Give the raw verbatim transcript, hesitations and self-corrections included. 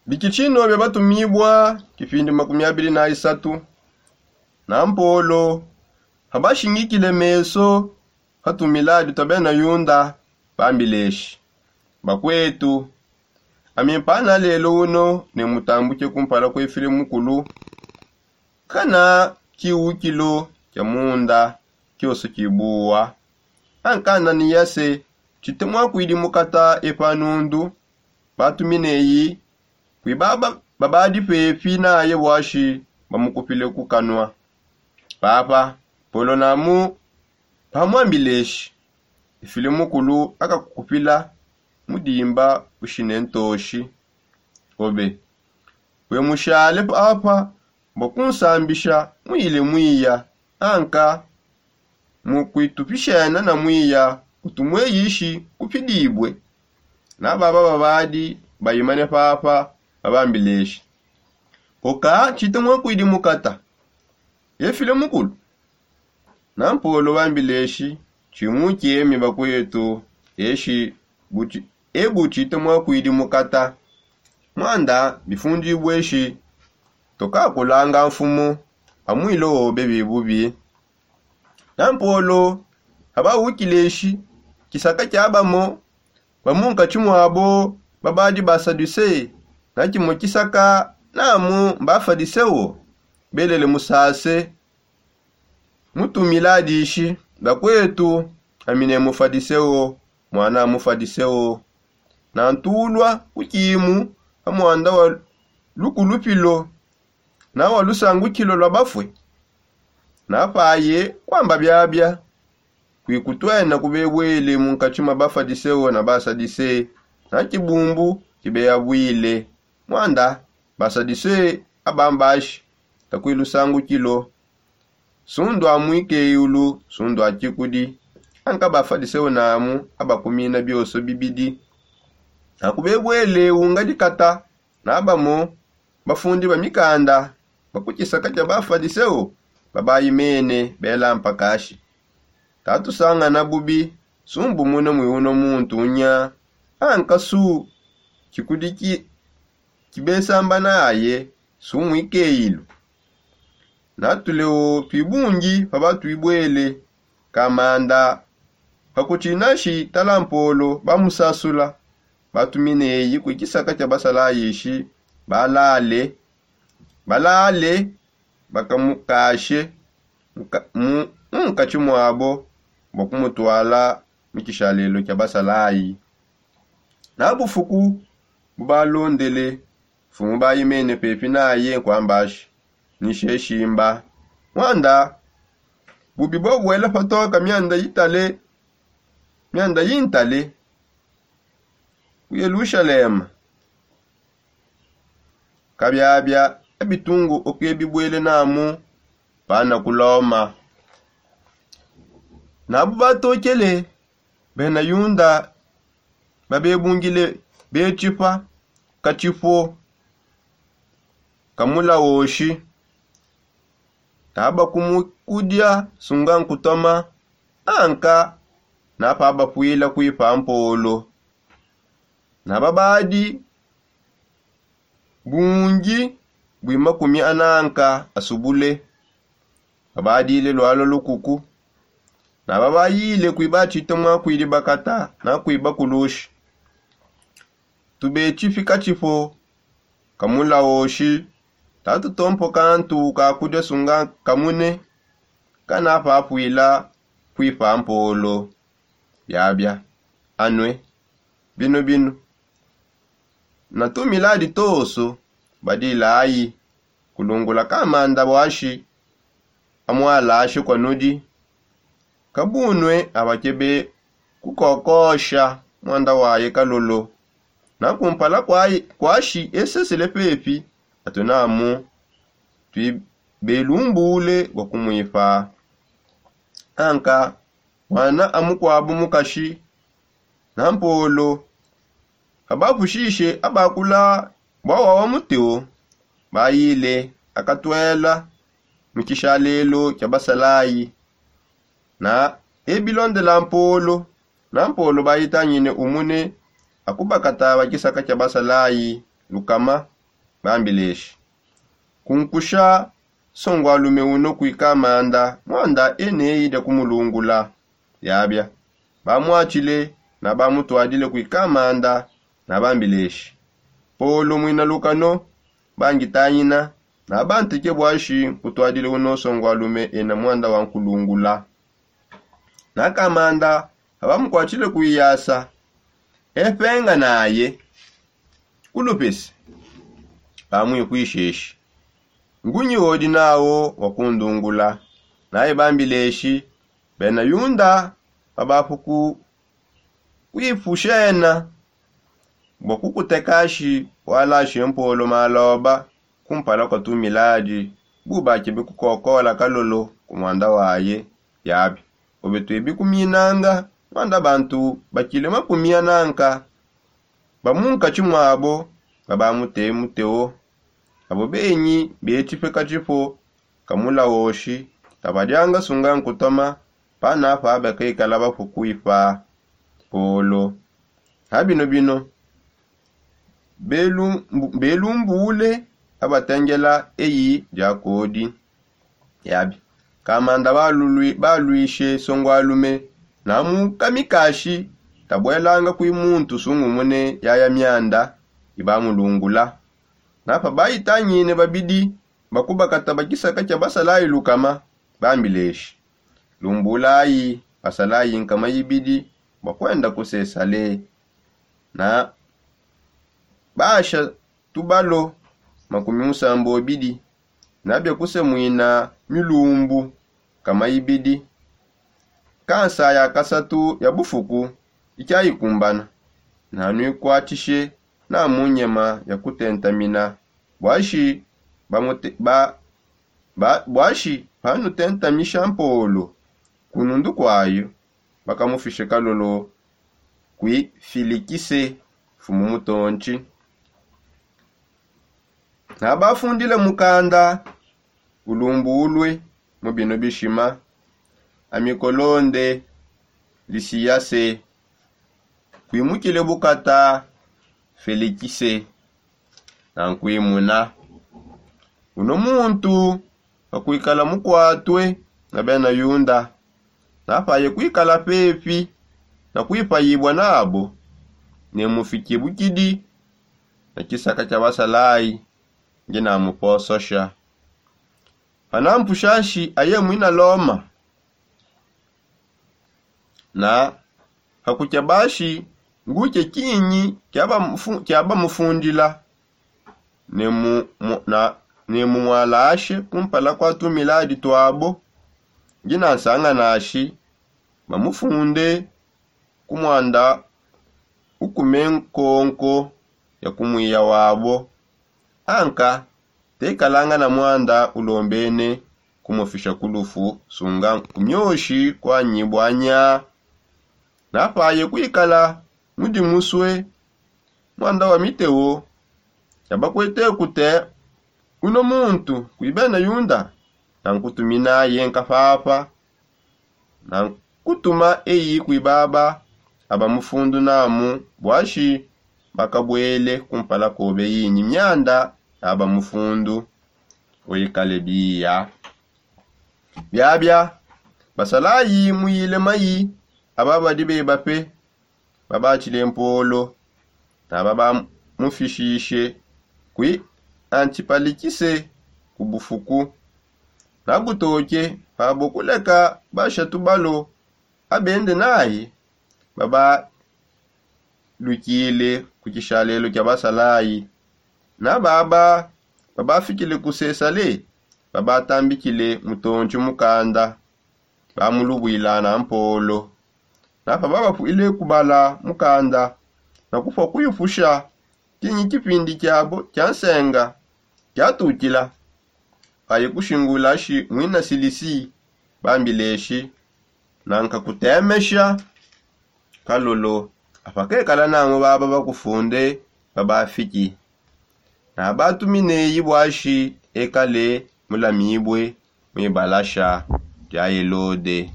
Bikitshino bia batumibua kipindi makumi abili na isatu. Na mpolo habashingikile meso ha tumiladi tua bena yunda, bambileshi: Bakwetu, ami mpana lelo uno ne mutambuke kumpala kuefile mukulu, kana kiwukilo kia munda kioso kibuwa. Ankanda ni yase tshite mwakwidi mukata epa nundu, batumineyi kwi baba babadi pepi naye bwashi bamukupile ku kanwa. Papa, polo namu pamwambileshi: Ifile mukulu akakukupila mudimba ushine ntoshi. Obe, wemushale papa bua kunsambisha muyile mwiya, anka mu kuitupishena na mwiya utu mweyishi kupidibue. Na baba babadi bayimane papa babambileshi: Oka tshite mwakwidi mukata, efile mukulu. Na mpolo bambileshi: Tshimukiemi bakwetu, eshi buti ebu tshite mwakwidi mukata. Mwanda bifundibue eshi tukakulanga mfumu amwile obe bibubi. Na mpolo habawukile eshi kisaka kia bamo bamunkatshi muabo babadi basaduse, na kimue kisaka namu mbafadiseo, belele musase mutumila dishi: Bakwetu, ami ne mufadiseo, muana mufadiseo. Nantulua kukimu ha muanda wa lukulupilo na wa lusangukilo lua bafue. Napaye kuamba biabia kuikutuena kubebwele munkatshi mua bafadiseo na basadise, na kibumbu kibeyabuile. Muanda basadise abambashi takui lusangukilo, sundu a muikeyulu, sundu a tshikudi. Anka bafadiseo namu abakumina bioso bibidi. Nakubebwele unga dikata na bamo bafundi ba mikanda ba ku tshisaka tshia bafadiseo babayi mene bela mpakashi. Tatusangana bubi, sumbumuna mui uno muntu unya, anka su tshikudi ki kibesamba naye, su muikeyilu. Natulewo tuibungi pa batuibwele kamanda. Pakutshinashi tala mpolo bamusasula, batumineyi ku tshisaka tshia basalayishi balale balale bakamukashe mu nkatshi muabo bua kumutwala mu tshishalelo tshia basalayi. Na bufuku bubalondele, mfumu bayi mene pepi naye nkuambashi: Nisheshimba. Muanda bubi bua buela patoka mianda itale mianda yintale ku yelushalema. Kabiabia ebitungu okebibuele namu pana ku loma. Nabu batokele bena yunda babebungile betshipa katshipo kamulawoshi. Naba kumukudia sunga nkutoma, anka napa bapuila kuipa mpolo. Naba badi bungi bui makumi ananka asubule. Babadile lualua lukuku. Naba bayile kuiba tshite mwakuidi bakata na kuiba kulushi. Tubetshipi katshipo kamulawoshi tatutompo kantu kakudia sunga kamune. Kana papuila kuipa mpolo. Biabia anue bino bino na tumiladi toso badilayi kulungula kamanda bwashi amualashe kua nudi. Kabunue abakebe kukokosha muanda waye kalolo. Na kumpala kwashi esesele pepi atunamu tuibelumbule bua kumuipa. Anka muana amukuabu mukashi na mpolo abapushishe abakula bua wawa muteo. Bayile akatuela mu tshishalelo tshia basalayi. Na ebilondela mpolo na mpolo bayitangine umune akubakata ba tshisaka tshia basalayi lukama. Bambileshi, kunkusha nsongwalume uno kui kamanda mwanda eneyi dia kumulungula. Yabia, bamwatshile na bamutwadile kui kamanda. Na bambileshi, polo mwina lukano, bangitanyina na banteke bwashi nkutwadile uno nsongwalume ena mwanda wa nkulungula. Na kamanda abamukwatshile kuiyasa, epenga naye kulupese. Bamwikwisheshi, ngunyi odi nawo wa kundungula? Naye bambileshi, bena yunda babafuku kuipushena bua kukutekashi walashe mpolo maloba kumpala kwa tumiladi, bu bakebe kukokola kalolo ku mwanda waye. Yabi, obe tuebi kuminanga mwanda bantu bakile makumi ananka ba munkatshi mwabo, babamute muteo. Abo benyi betshipe katshipo kamulawoshi, tabadianga sunga nkutoma panapa bakekala bafukuipa polo. Ha bino bino, belumbule abatengela eyi diakodi. Yabi, kamanda baluishe songwalume na mukamikashi, tabuelanga kui muntu sungumune yaya mianda ibamulungula. Napa bayitangine babidi bakubakata bakisaka kia basalayi lukama, bambileshi, lumbulayi basalayi nkama ibidi bua kuenda kusesale. Na basha tubalo makumi musambu obidi na bia kusemwina milumbu kama ibidi, kansa ya kasatu ya bufuku ikiayikumbana. Nanuikwatshishe na mu nyema ya kutentamina, bwashi bamute ba ba bwashi panutentamisha mpolo kunundu kwayo, bakamufishe kalolo kui Filikise, mfumu mutontshi. Nabafundile mukanda ulumbulue mu bino bishima, Amikolonde, Lisiyase, kuimukile bukata Felikise, nankuimuna. Uno muntu pakuikala mukuatue na bena Yunda, napaye kuikala pepi na kuipayibua nabo, ne mufiki bukidi na kisaka kia basalayi, ndi namupososha. Panampushashi aye muina Loma, na pakukia bashi nguke kinyi kiabamufundila, ne mumwalashe kumpala kua tumiladi tuabo, ndi nansanga nashi bamufunde ku mwanda ukume nkonko ya ku muiya wabo. Anka tekalanga na mwanda ulombene kumufisha ku lufu, sunga ku mioshi kuanyibua nya. Napaye kuikala mudi musue mwanda wa miteo ya bakuete kute, uno muntu kui bena Yunda, nankutuminaye nkapapa, nankutuma eyi kui baba aba mufundu namu, bwashi bakabuele kumpala kobe yinyi mianda aba mufundu, wekale biya. Biabia basalayi muyile mayi aba badi beba pe, babatshile mpolo na babamufishishe kui Antipalikise ku bufuku. Nabutoke pabo kuleka basha tubalo abende naye, babalukile ku tshishalelo kia basalayi. Na baba babafikile ku Sesale, babatambikile mutontshi mukanda, bamulubuila na mpolo. Na pababapuile kubala mukanda na kupua kuipusha kinyi kipindi kiabo kia nsenga kiatukila, paye kushingulashi muina Silisi, bambileshi, nankakutemesha kalolo. Apa kekala namu baba bakufunde babafiki, nabatumineyi bwashi ekale mulamibue mu ibalasha dia Helode.